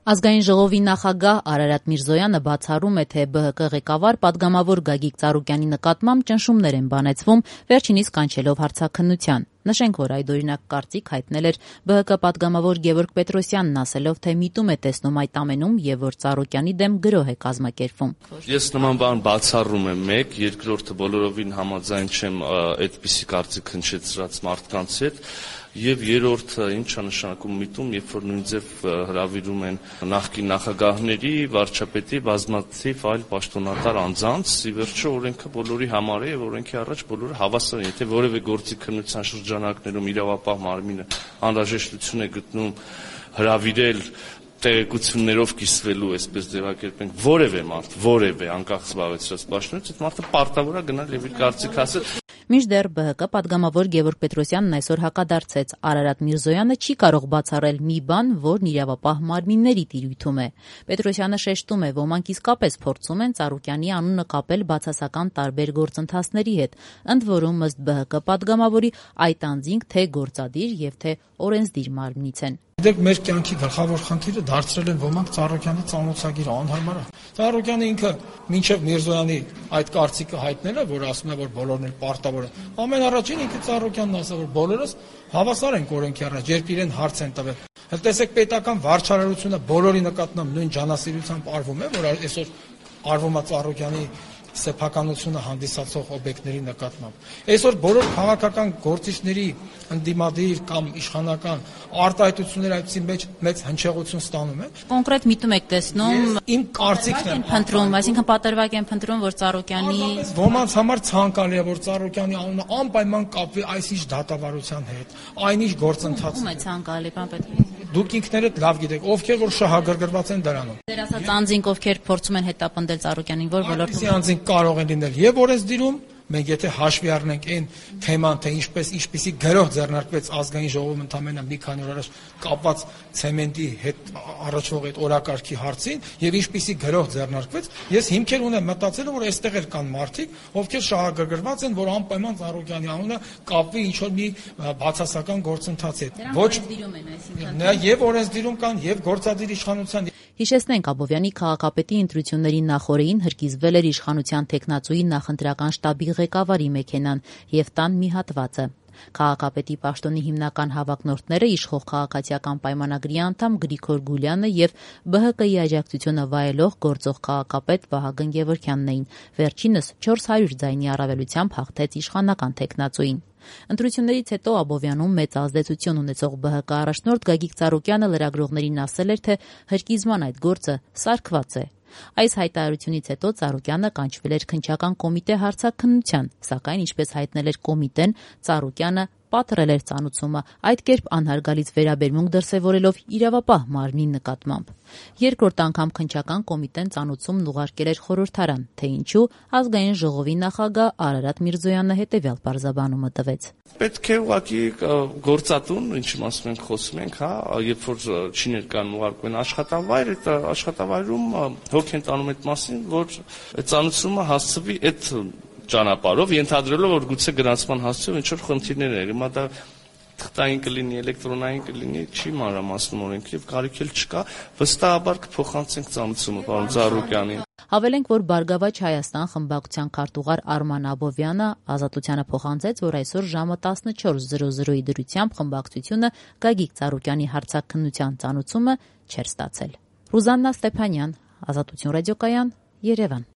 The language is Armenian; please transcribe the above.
Ազգային ժողովի նախագահ Արարատ Միրզոյանը բացառում է, թե ԲՀԿ ղեկավար պատգամավոր Գագիկ Ծառուկյանի նկատմամբ ճնշումներ են բանեցվում, վերջինիս կանչելով հարցաքննության։ Նշենք, որ այդօրինակ կարծիք հայտնել էր ԲՀԿ պատգամավոր Գևորգ Պետրոսյանն, ասելով, թե միտում է տեսնում այդ ամենում եւ որ Ծառուկյանի դեմ գրոհ է կազմակերպվում։ Ես նման բան բացառում եմ, մեկ, երկրորդը բոլորովին համաձայն չեմ այդպիսի կարծիք հնչեցրած մարդկանց հետ։ Եվ երրորդը ինչ է նշանակում միտում, երբ որ նույն ձև հրավիրում են նախկին նախագահների, վարչապետի, բազմաթիվ այլ պաշտոնատար անձանց, ի վերջո օրենքը բոլորի համար է եւ օրենքի առաջ բոլորը հավասար են։ Եթե որևէ գործի քննության շրջանակներում իրավապահ մարմինը անհրաժեշտություն է գտնում հրավիրել տեղեկություններով կիսվելու, այսպես ձևակերպենք, որևէ մարդ, որևէ անկախ զբաղեցրած պաշտոնից, այդ մարդը պարտավոր է գնալ եւ իր կարծիքը ասել։ Մինչդեռ ԲՀԿ պատգամավոր Գևորգ Պետրոսյանն այսօր հակադարձեց. Արարատ Միրզոյանը չի կարող բացառել մի բան, որն իրավապահ մարմինների տիրույթում է։ Պետրոսյանը շեշտում է, ոմանք իսկապես փորձում են Ծառուկյանի անունը կապել բացասական տարբեր գործընթացների հետ, ընդ որում ըստ ԲՀԿ պատգամավորի այդ անձինք թե գործադիր եւ թե օրենսդիր մարմնից են։ Դեք մեր կյանքի գլխավոր խնդիրը դարձրել են ոմանք Ծառուկյանի ծանոթագիրը անհարմար է։ Ծառուկյանը ինքը մինչև Միրզոյանի այդ կարծիքը հայտնելը, որ ասում է, որ բոլորն էլ պարտավոր են։ Ամեն առաջին ինքը Ծառուկյանն ասա, որ բոլորս հավասար ենք օրենքի առաջ, երբ իրեն հարց են տվել։ Հələ տեսեք պետական վարչարարությունը բոլորի նկատմամբ նույն ջանասիրությամբ արվում է, որ այսօր արվում է Ծառուկյանի սեփականությունը հանդիսացող օբյեկտների նկատմամբ։ Այսօր բոլոր քաղաքական գործիչների ընդդիմադիր կամ իշխանական արտահայտությունները այդպիսի մեծ հնչեղություն ստանում են։ Կոնկրետ միտում եք տեսնում իմ կարծիքն է փնտրում, այսինքն պատրվակ են փնտրում, որ Ծառուկյանի ոմանց համար ցանկալի է, որ Ծառուկյանի անունը անպայման կապվի այսինչ դատավարության հետ, այնինչ գործընթացի։ Ում է ցանկալի, պարոն Պետրոսյան։ Դուք ինքներդ լավ գիտեք, ովքեր որ շահագրգռված են դրանում։ Ձեր ասած անձինք, ովքեր փորձում են հետապնդել Ծառուկյանին, որ ոլորտում անձինք կարող են լինել եւ օրենսդիրում, մենք եթե հաշվի առնենք այն թեման, թե ինչպիսի գրոհ ձեռնարկվեց ազգային ժողովում ընդամենը մի քանի օր առաջ կապված ցեմենտի հետ առաջվող այդ օրակարգի հարցին եւ ինչպիսի գրոհ ձեռնարկվեց, ես հիմքեր ունեմ մտածել, որ այստեղ էլ կան մարդիկ, ովքեր շահագրգռված են, որ անպայման Ծառուկյանի անունը կապվի ինչ որ մի բացասական գործընթացի հետ։ Ոչ եւ օրենսդիրում կան եւ գործադիր իշխանության։ Հիշեցնենք, Աբովյանի քաղաքապետի ընտրությունների նախօրեին հրկիզվել էր իշխանության տեխնացուի նախընտրական շտաբի ղեկավարի մեքենան եւ տան մի հատվածը։ Քաղաքապետի պաշտոնի հիմնական հավակնորդները իշխող քաղաքացիական պայմանագրի անդամ Գրիգոր Գուլյանը եւ ԲՀԿ-ի աջակցությունը վայելող գործող քաղաքապետ Վահագն Գևորգյանն էին։ Վերջինս 400 ձայնի առավելությամբ հաղթեց իշխանական տեխնացուին։ Ընտրություններից հետո Աբովյանում մեծ ազդեցություն ունեցող ԲՀԿ առաջնորդ Գագիկ Ծառուկյանը լրագրողներին ասել էր, թե հրկիզման այդ գործը սարքված է։ Այս հայտարարությունից հետո Ծառուկյանը կանչվել էր քննչական կոմիտե հարցաքննության, սակայն ինչպես հայտնել էր կոմիտեն, Ծառուկյանը պատռել էր ծանուցումը, այդ կերպ անհարգալից վերաբերմունք դրսևորելով իրավապահ մարմնի նկատմամբ։ Երկրորդ անգամ քննչական կոմիտեն ծանուցումն ուղարկել էր խորհրդարան, թե ինչու ազգային ժողովի նախագահ Արարատ Միրզոյանը հետևյալ պարզաբանումը տվեց։ Պետք է ուղղակի գործատուն, ինչի մասում ենք խոսում ենք, երբ որ չի ներկայանում ուղարկում են աշխատավայր, այդ աշխատավայրում հոգ են տանում այդ մասին, որ այդ ծանուցումը հասցվի այդ ճանապարհով, ենթադրելով, որ գուցե գրանցման հասցեով ինչ-որ խնդիրներ են։ Հիմա դա թղթային կլինի, էլեկտրոնային կլինի, չի մանրամասնում օրենքը եւ կարիք էլ չկա, վստահաբար կփոխանցենք ծանուցումը պարոն Ծառուկյանին։ Հավելենք, որ Բարգավաճ Հայաստան խմբակցության քարտուղար Արման Աբովյանը Ազատությանը փոխանցեց, որ այսօր ժամը 14:00-ի դրությամբ խմբակցությունը Գագիկ Ծառուկյանի հարցաքննության ծանուցումը չէր ստացել։ Ռուզաննա Ստեփանյան, Ազատություն ռադիոկայան, Երևան։